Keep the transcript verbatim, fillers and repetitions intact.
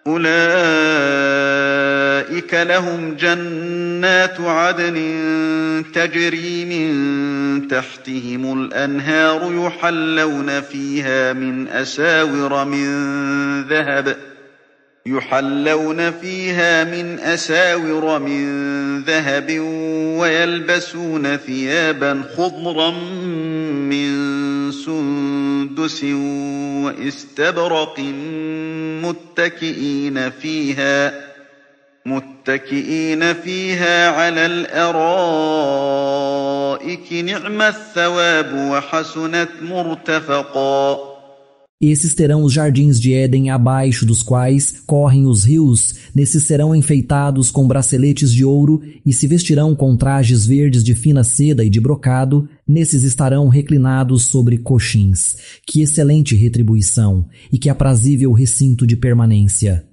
أولئك لهم جنات عدن تجري من تحتهم الأنهار يحلون فيها من أساور من ذهب يحلون فيها من أساور من ذهب ويلبسون ثيابا خضرا من سندس واستبرق متكئين فيها متكئين فيها على الأرائك نعم الثواب وحسنت مرتفقا. Esses terão os jardins de Éden abaixo dos quais correm os rios, nesses serão enfeitados com braceletes de ouro e se vestirão com trajes verdes de fina seda e de brocado, nesses estarão reclinados sobre coxins. Que excelente retribuição e que aprazível recinto de permanência!